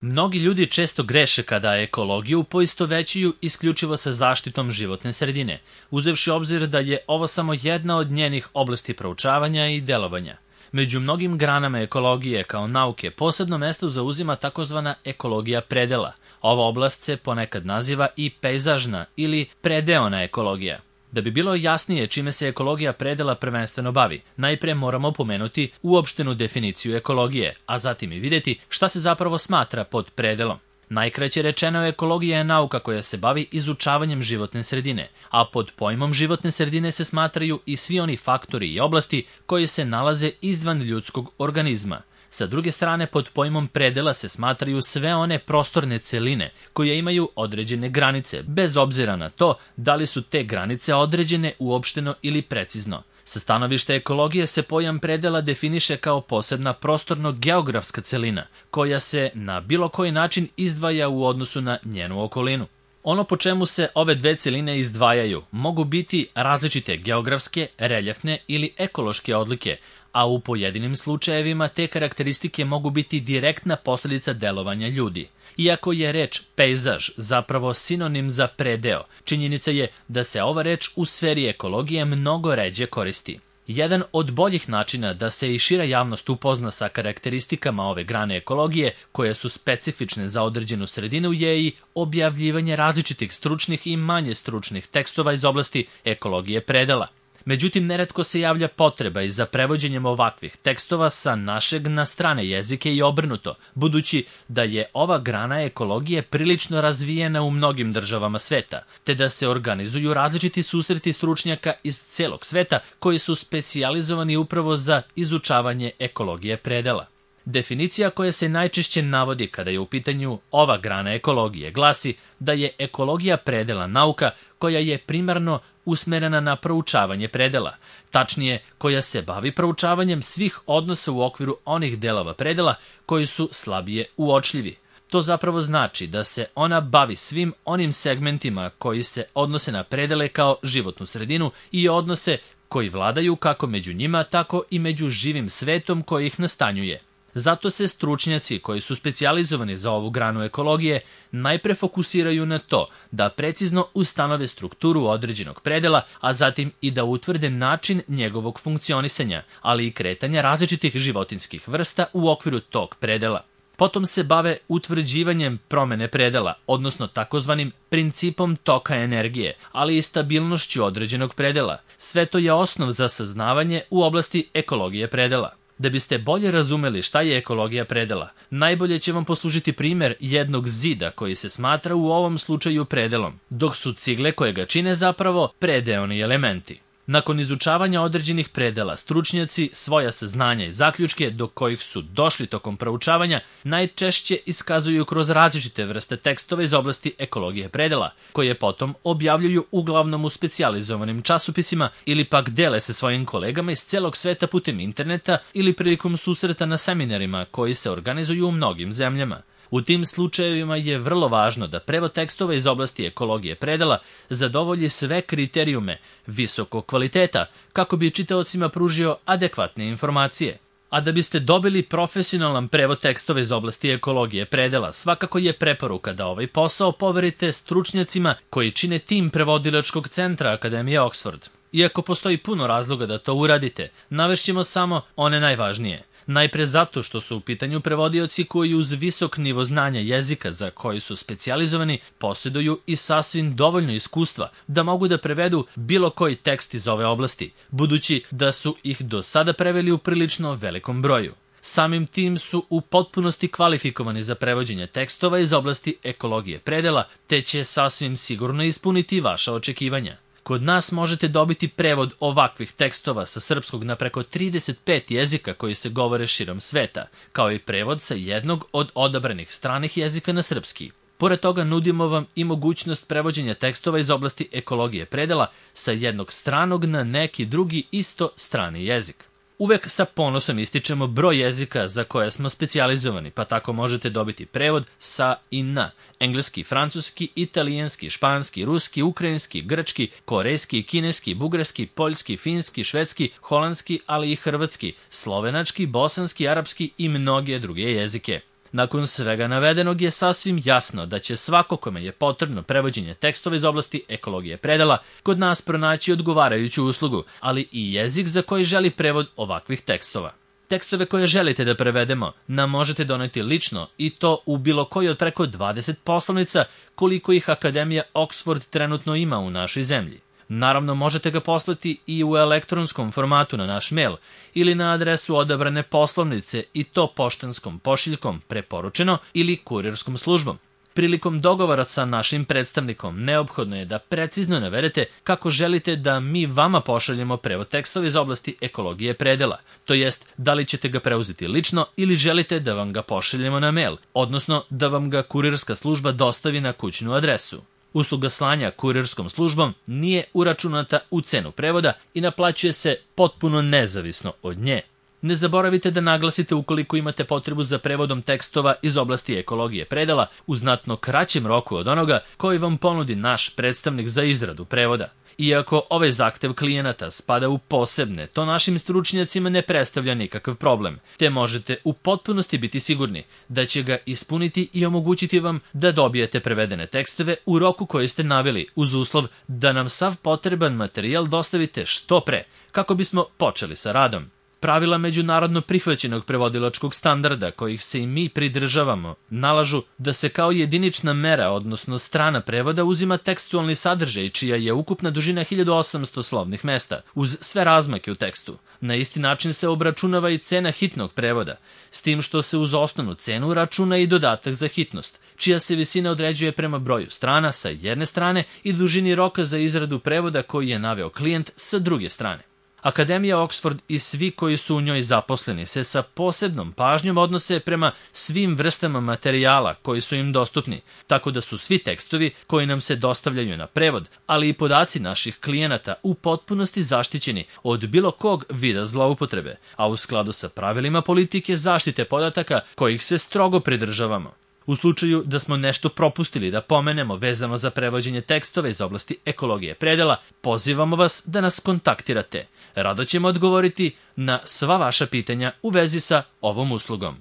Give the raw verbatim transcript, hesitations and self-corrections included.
Mnogi ljudi često greše kada ekologiju poistovećuju isključivo sa zaštitom životne sredine, uzevši obzir da je ovo samo jedna od njenih oblasti proučavanja i delovanja. Među mnogim granama ekologije kao nauke posebno mesto zauzima takozvana ekologija predela. Ova oblast se ponekad naziva i pejzažna ili predeona ekologija. Da bi bilo jasnije čime se ekologija predela prvenstveno bavi, najpre moramo pomenuti uopštenu definiciju ekologije, a zatim i vidjeti šta se zapravo smatra pod predelom. Najkraće rečeno, ekologija je nauka koja se bavi izučavanjem životne sredine, a pod pojmom životne sredine se smatraju i svi oni faktori i oblasti koji se nalaze izvan ljudskog organizma. Sa druge strane, pod pojmom predela se smatraju sve one prostorne celine koje imaju određene granice, bez obzira na to da li su te granice određene uopšteno ili precizno. Sa stanovišta ekologije se pojam predela definiše kao posebna prostorno-geografska celina, koja se na bilo koji način izdvaja u odnosu na njenu okolinu. Ono po čemu se ove dve celine izdvajaju mogu biti različite geografske, reljefne ili ekološke odlike, a u pojedinim slučajevima te karakteristike mogu biti direktna posljedica delovanja ljudi. Iako je reč pejzaž zapravo sinonim za predeo, činjenica je da se ova reč u sferi ekologije mnogo ređe koristi. Jedan od boljih načina da se i šira javnost upozna sa karakteristikama ove grane ekologije, koje su specifične za određenu sredinu, je i objavljivanje različitih stručnih i manje stručnih tekstova iz oblasti ekologije predela. Međutim, neretko se javlja potreba i za prevođenjem ovakvih tekstova sa našeg na strane jezike i obrnuto, budući da je ova grana ekologije prilično razvijena u mnogim državama sveta, te da se organizuju različiti susreti stručnjaka iz celog sveta koji su specijalizovani upravo za izučavanje ekologije predela. Definicija koja se najčešće navodi kada je u pitanju ova grana ekologije glasi da je ekologija predela nauka koja je primarno usmerena na proučavanje predela, tačnije koja se bavi proučavanjem svih odnosa u okviru onih delova predela koji su slabije uočljivi. To zapravo znači da se ona bavi svim onim segmentima koji se odnose na predele kao životnu sredinu i odnose koji vladaju kako među njima, tako i među živim svetom koji ih nastanjuje. Zato se stručnjaci koji su specijalizovani za ovu granu ekologije najpre fokusiraju na to da precizno ustanove strukturu određenog predela, a zatim i da utvrde način njegovog funkcionisanja, ali i kretanja različitih životinjskih vrsta u okviru tog predela. Potom se bave utvrđivanjem promene predela, odnosno takozvanim principom toka energije, ali i stabilnošću određenog predela. Sve to je osnov za saznavanje u oblasti ekologije predela. Da biste bolje razumeli šta je ekologija predela, najbolje će vam poslužiti primjer jednog zida koji se smatra u ovom slučaju predelom, dok su cigle koje ga čine zapravo predeoni elementi. Nakon izučavanja određenih predela, stručnjaci svoja saznanja i zaključke do kojih su došli tokom proučavanja najčešće iskazuju kroz različite vrste tekstova iz oblasti ekologije predela, koje potom objavljuju uglavnom u specijalizovanim časopisima ili pak dele se svojim kolegama iz celog sveta putem interneta ili prilikom susreta na seminarima koji se organizuju u mnogim zemljama. U tim slučajevima je vrlo važno da prevod tekstova iz oblasti ekologije predela zadovolji sve kriterijume visokog kvaliteta kako bi čitaocima pružio adekvatne informacije. A da biste dobili profesionalan prevod tekstova iz oblasti ekologije predela, svakako je preporuka da ovaj posao poverite stručnjacima koji čine tim prevodilačkog centra Akademije Oxford. Iako postoji puno razloga da to uradite, navešćemo samo one najvažnije. Najpre zato što su u pitanju prevodioci koji uz visok nivo znanja jezika za koji su specijalizovani posjeduju i sasvim dovoljno iskustva da mogu da prevedu bilo koji tekst iz ove oblasti, budući da su ih do sada preveli u prilično velikom broju. Samim tim su u potpunosti kvalifikovani za prevođenje tekstova iz oblasti ekologije predela, te će sasvim sigurno ispuniti vaša očekivanja. Kod nas možete dobiti prevod ovakvih tekstova sa srpskog na preko trideset pet jezika koji se govore širom sveta, kao i prevod sa jednog od odabranih stranih jezika na srpski. Pored toga nudimo vam i mogućnost prevođenja tekstova iz oblasti ekologije predela sa jednog stranog na neki drugi isto strani jezik. Uvek sa ponosom ističemo broj jezika za koje smo specijalizovani, pa tako možete dobiti prevod sa i na engleski, francuski, italijanski, španski, ruski, ukrajinski, grčki, korejski, kineski, bugarski, poljski, finski, švedski, holandski, ali i hrvatski, slovenački, bosanski, arapski i mnoge druge jezike. Nakon svega navedenog je sasvim jasno da će svako kome je potrebno prevođenje tekstova iz oblasti ekologije predela kod nas pronaći odgovarajuću uslugu, ali i jezik za koji želi prevod ovakvih tekstova. Tekstove koje želite da prevedemo nam možete doneti lično i to u bilo koji od preko dvadeset poslovnica koliko ih Akademija Oxford trenutno ima u našoj zemlji. Naravno, možete ga poslati i u elektronskom formatu na naš mail ili na adresu odabrane poslovnice i to poštanskom pošiljkom preporučeno ili kurirskom službom. Prilikom dogovora sa našim predstavnikom neophodno je da precizno navedete kako želite da mi vama pošaljemo prevod tekstova iz oblasti ekologije predela, to jest da li ćete ga preuzeti lično ili želite da vam ga pošaljemo na mail, odnosno da vam ga kurirska služba dostavi na kućnu adresu. Usluga slanja kurirskom službom nije uračunata u cenu prevoda i naplaćuje se potpuno nezavisno od nje. Ne zaboravite da naglasite ukoliko imate potrebu za prevodom tekstova iz oblasti ekologije predela u znatno kraćem roku od onoga koji vam ponudi naš predstavnik za izradu prevoda. Iako ovaj zahtev klijenata spada u posebne, to našim stručnjacima ne predstavlja nikakav problem, te možete u potpunosti biti sigurni da će ga ispuniti i omogućiti vam da dobijete prevedene tekstove u roku koji ste naveli, uz uslov da nam sav potreban materijal dostavite što pre, kako bismo počeli sa radom. Pravila međunarodno prihvaćenog prevodilačkog standarda, kojih se i mi pridržavamo, nalažu da se kao jedinična mera, odnosno strana prevoda, uzima tekstualni sadržaj, čija je ukupna dužina hiljadu osamsto slovnih mesta, uz sve razmake u tekstu. Na isti način se obračunava i cena hitnog prevoda, s tim što se uz osnovnu cenu računa i dodatak za hitnost, čija se visina određuje prema broju strana sa jedne strane i dužini roka za izradu prevoda koji je naveo klijent sa druge strane. Akademija Oxford i svi koji su u njoj zaposleni se sa posebnom pažnjom odnose prema svim vrstama materijala koji su im dostupni, tako da su svi tekstovi koji nam se dostavljaju na prevod, ali i podaci naših klijenata u potpunosti zaštićeni od bilo kog vida zloupotrebe, a u skladu sa pravilima politike zaštite podataka kojih se strogo pridržavamo. U slučaju da smo nešto propustili da pomenemo vezano za prevođenje tekstova iz oblasti ekologije predela, pozivamo vas da nas kontaktirate. Rado ćemo odgovoriti na sva vaša pitanja u vezi sa ovom uslugom.